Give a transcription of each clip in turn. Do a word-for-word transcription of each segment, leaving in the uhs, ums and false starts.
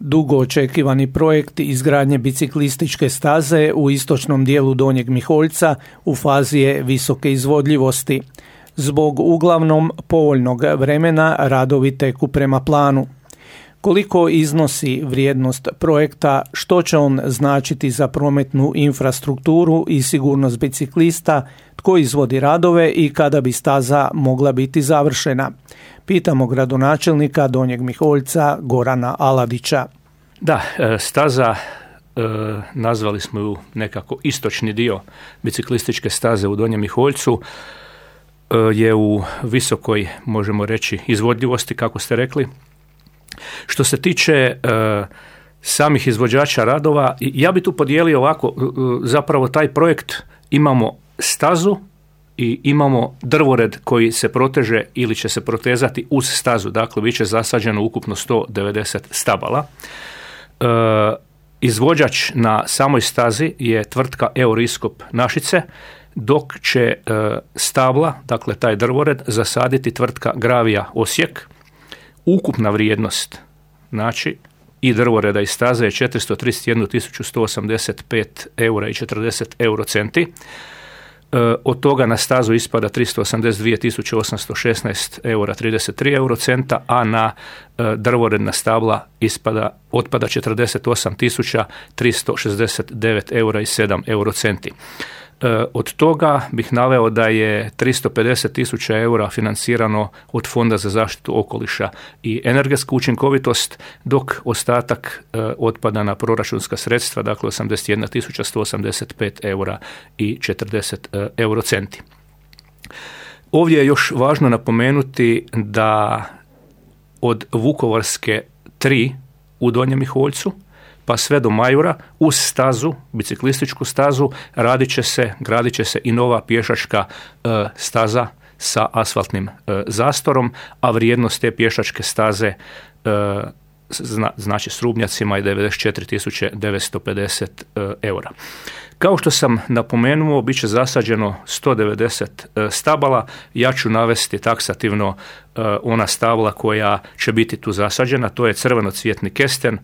Dugo očekivani projekt izgradnje biciklističke staze u istočnom dijelu Donjeg Miholjca u fazi je visoke izvodljivosti. Zbog uglavnom povoljnog vremena radovi teku prema planu. Koliko iznosi vrijednost projekta, što će on značiti za prometnu infrastrukturu i sigurnost biciklista, tko izvodi radove i kada bi staza mogla biti završena? Pitamo gradonačelnika Donjeg Miholjca Gorana Aladića. Da, staza, nazvali smo ju nekako istočni dio biciklističke staze u Donjem Miholjcu, je u visokoj, možemo reći, izvodljivosti, kako ste rekli. Što se tiče e, samih izvođača radova, ja bi tu podijelio ovako, zapravo taj projekt imamo stazu i imamo drvored koji se proteže ili će se protezati uz stazu, dakle bit će zasađeno ukupno sto devedeset stabala. E, izvođač na samoj stazi je tvrtka Euriskop Našice, dok će e, stabla, dakle taj drvored, zasaditi tvrtka Gravija Osijek. Ukupna vrijednost, znači i drvoreda i staze je četiristo trideset jednu tisuću sto osamdeset pet eura i četrdeset eurocenti. E, od toga na stazu ispada tristo osamdeset dvije tisuće osamsto šesnaest eura trideset tri eurocenta, a na e, drvoredna stabla ispada, otpada četrdeset osam tisuća tristo šezdeset devet eura i sedam eurocenti. Od toga bih naveo da je tristo pedeset tisuća eura financirano od Fonda za zaštitu okoliša i energetsku učinkovitost, dok ostatak otpada na proračunska sredstva, dakle osamdeset jedna tisuća sto osamdeset pet eura i četrdeset eurocenti. Ovdje je još važno napomenuti da od Vukovarske tri u Donjem Miholjcu pa sve do Majura, uz stazu, biciklističku stazu, radit će se, gradit će se i nova pješačka e, staza sa asfaltnim e, zastorom, a vrijednost te pješačke staze e, zna, znači s rubnjacima je devedeset četiri tisuće devetsto pedeset e, eura. Kao što sam napomenuo, bit će zasađeno sto devedeset e, stabala. Ja ću navesti taksativno e, ona stabla koja će biti tu zasađena. To je crvenocvjetni kesten,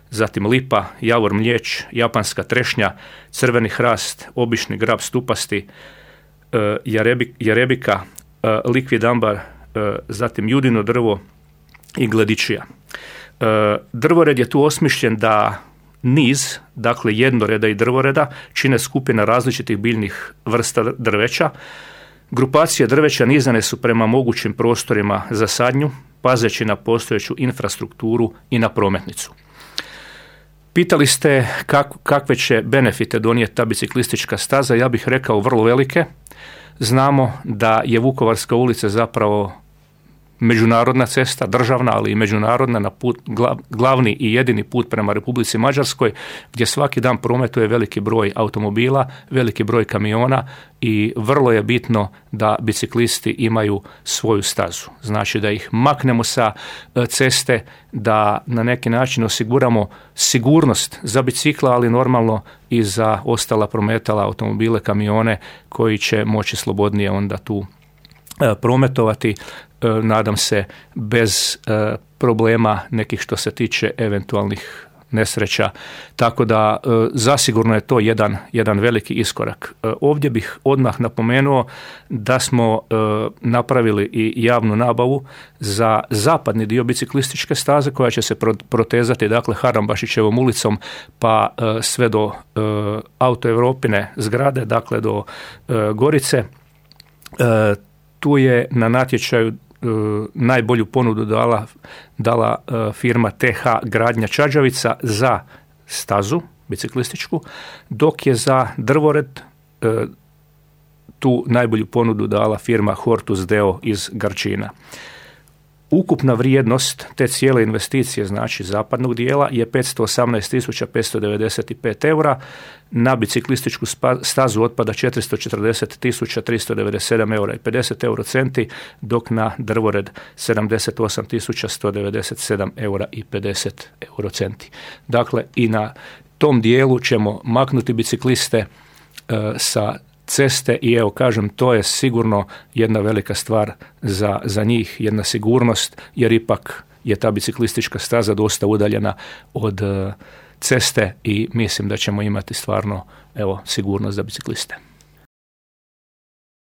zatim lipa, javor mlijeć, japanska trešnja, crveni hrast, obični grab stupasti, e, jarebi, jarebika, e, likvid ambar, e, zatim judino drvo i gledičija. E, drvored je tu osmišljen da niz, dakle jednoreda i drvoreda, čine skupina različitih biljnih vrsta drveća. Grupacije drveća nizane su prema mogućim prostorima za sadnju, pazeći na postojeću infrastrukturu i na prometnicu. Pitali ste kak, kakve će benefite donijeti ta biciklistička staza, ja bih rekao vrlo velike. Znamo da je Vukovarska ulica zapravo međunarodna cesta, državna, ali i međunarodna, na put, glavni i jedini put prema Republici Mađarskoj, gdje svaki dan prometuje veliki broj automobila, veliki broj kamiona i vrlo je bitno da biciklisti imaju svoju stazu. Znači da ih maknemo sa ceste, da na neki način osiguramo sigurnost za bicikla, ali normalno i za ostala prometala, automobile, kamione koji će moći slobodnije onda tu prometovati, nadam se bez problema nekih što se tiče eventualnih nesreća. Tako da zasigurno je to jedan, jedan veliki iskorak. Ovdje bih odmah napomenuo da smo napravili i javnu nabavu za zapadni dio biciklističke staze koja će se protezati, dakle, Harambašićevom ulicom pa sve do Auto Europine zgrade, dakle do Gorice. Tu je na natječaju najbolju ponudu dala, dala firma T H Gradnja Čađavica za stazu biciklističku, dok je za drvored tu najbolju ponudu dala firma Hortus Deo iz Garčina. Ukupna vrijednost te cijele investicije, znači zapadnog dijela, je petsto osamnaest tisuća petsto devedeset pet eura, na biciklističku stazu otpada četiristo četrdeset tisuća tristo devedeset sedam eura i pedeset eurocenti, dok na drvored sedamdeset osam tisuća sto devedeset sedam eura i pedeset eurocenti. Dakle, i na tom dijelu ćemo maknuti bicikliste e, sa ceste i evo kažem, to je sigurno jedna velika stvar za, za njih, jedna sigurnost, jer ipak je ta biciklistička staza dosta udaljena od ceste i mislim da ćemo imati stvarno evo sigurnost za bicikliste.